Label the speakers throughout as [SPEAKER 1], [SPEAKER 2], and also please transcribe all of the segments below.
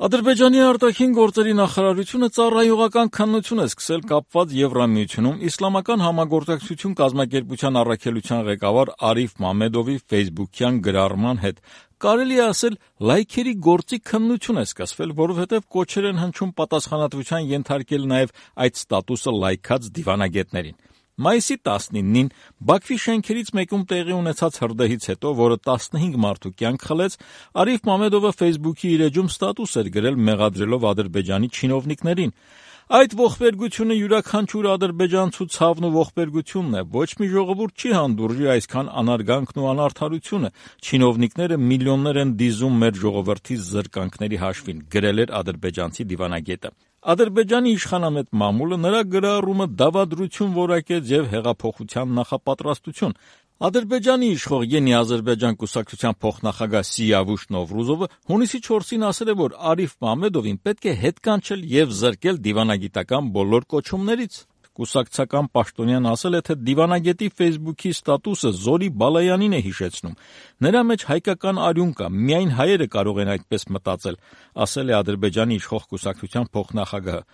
[SPEAKER 1] Ադրբեջանի արտաքին գործերի նախարարությունը ծառայողական քննություն է սկսել կապված Եվրամիությունում իսլամական համագործակցություն կազմակերպության առաքելության ղեկավար Արիֆ Մամեդովի ֆեյսբուքյան գրառման հետ։ Կարելի է ասել, լայքերի գործի քննություն է սկսվել, որովհետև կոչեր են հնչում պատասխանատվության ենթարկել նաև այդ ստատուսը լայքած դիվանագետներին։ Մայիսի 19-ին Բաքվի շենքերից մեկում տեղի ունեցած հրդեհից հետո, որը 15 մարդու կյանք խլեց, Արիֆ Մամեդովը ֆեյսբուքի իր էջում ստատուս էր գրել մեղադրելով Ադրբեջանի չինովնիկներին։ Այդ ողբերգությունը յուրաքանչյուր ադրբեջանցու ցավն ու ողբերգությունն է, ոչ մի ժողովուրդ չի հանդուրժի այսքան անարգանքն ու անարդարությունը, չինովնիկները միլիոններ են դիզում մեր ժողովրդի զրկանքների հաշվին, գրել էր ադրբեջանցի դիվանագետը։ Ադրբեջանի իշխանամետ մամուլը նրա գրառումը դավադրություն որակեց և հեղափոխության նախապատրաստություն։ Ադրբեջանի իշխող Ենի Ադրբեջան կուսակցության փոխնախագահ Սիավուշ Նովրուզովը հունիսի 4-ին ասել է, որ Արիֆ Մամեդովին պետք է հետ կանչել և զրկել դիվանագիտական բոլոր կոչումներից։ Կուսակցական պաշտոնյան ասել է, թե դիվանագետի ֆեյսբուքի ստատուսը Զորի Բալայանին է հիշեցնում։ Նրա մեջ հայկական արյուն կա, միայն հայերը կարող են այդպես մտածել, ասել է Ադրբեջանի իշխող կուսակցության փոխնախագահը։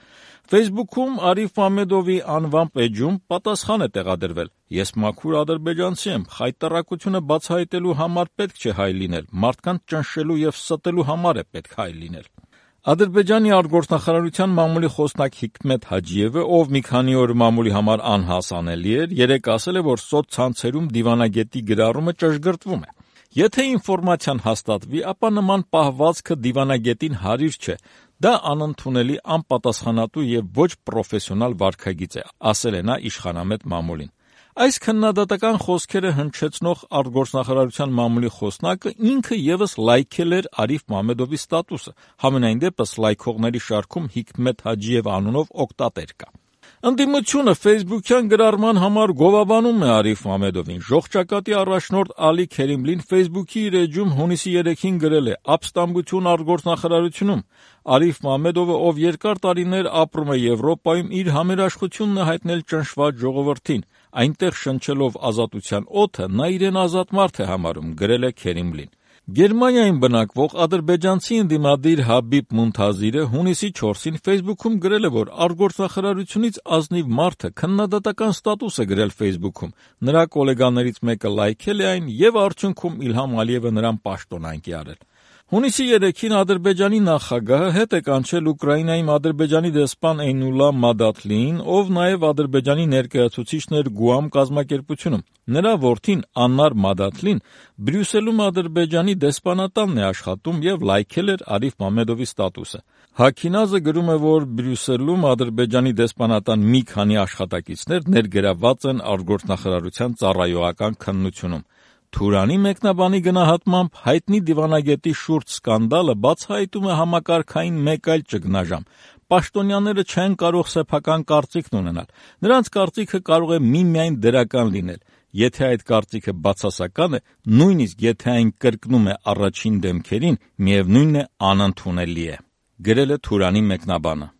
[SPEAKER 1] Ֆեյսբուքում Արիֆ Մամեդովի անվամբ էջում պատասխան է տեղադրվել. «Ես մաքուր ադրբեջանցի եմ, խայտառակությունը բացահայտելու համար պետք չէ հայ լինել, մարդկանց ճնշելու և ստելու համար է պետք հայ լինել»։ Ադրբեջանի արտգործնախարարության մամուլի խոսնակ Հիկմետ Հաջիևը, ով մի քանի օր մամուլի համար անհասանելի էր, երեկ ասել է, որ սոցցանցերում դիվանագետի գրառումը ճշգրտվում է։ Եթե ինֆորմացիան հաստատվի, ապա նման պահվածքը դիվանագետին հարիր չէ, դա անընդունելի, անպատասխանատու և ոչ պրոֆեսիոնալ վարքագիծ է, ասել է նա իշխանամետ մամուլին։ Այս քննադատական խոսքերը հնչեցնող արտգործնախարարության մամուլի խոսնակը ինքը ևս լայքել էր Արիֆ Մամեդովի ստատուսը, համենայն դեպս լայքողների շարքում Հիկմետ Հաջիև անունով օգտատեր կա։ Ընդդիմությունը ֆեյսբուքյան գրառման համար գովաբանում է Արիֆ Մամեդովին։ Ժողջակատի առաջնորդ Ալի Քերիմլին ֆեյսբուքի իր էջում հունիսի 3-ին գրել է. «Ապստամբություն արտգործնախարարությունում։ Արիֆ Մամեդովը, ով երկար տարիներ ապրում է Եվրոպայում, իր համերաշխությունն է հայտնել ճնշված ժողովրդին։ Այնտեղ շնչելով ազատության օդը, նա իրեն ազատ մարդ է համարում», գրել է Քերիմլին։ Գերմանիայում բնակվող ադրբեջանցի ընդդիմադիր Հաբիբ Մունթազիրը հունիսի 4-ին ֆեյսբուքում գրել է, որ արտգործնախարարությունից ազնիվ մարդը քննադատական ստատուս է գրել ֆեյսբուքում։ Նրա գոլեգաներից մեկը լայքել է այն և արդյունքում Իլհամ Ալիևը նրան պաշտոնանկ է արել։ Հունիսի 3-ին Ադրբեջանի նախագահը հետ է կանչել Ուկրաինայում Ադրբեջանի դեսպան Էյնուլլա Մադաթլիին, ով նաև Ադրբեջանի ներկայացուցիչն էր Գուամ կազմակերպությունում։ Նրա որդին Աննար Մադաթլին Բրյուսելում Ադրբեջանի դեսպանատանն է աշխատում և լայքել էր Արիֆ Մամեդովի ստատուսը։ Հաքինազը գրում է, որ Բրյուսելում Ադրբեջանի դեսպանատան մի քանի աշխատակիցներ ներգրավված են արտգործնախարարության ծառայողական քննությունում։ Թուրանի մեկնաբանի գնահատմամբ հայտնի դիվանագետի շուրջ սկանդալը բացահայտում է համակարգային մեկ այլ ճգնաժամ։ Պաշտոնյաները չեն կարող սեփական կարծիքն ունենալ։ Նրանց կարծիքը կարող է միմիայն դրական լինել։ Եթե այդ կարծիքը բացասական է, նույնիսկ եթե այն կրկնում է առաջին դեմքերին, միևնույնն է անընդունելի է, գրել է Թուրանի մեկնաբանը։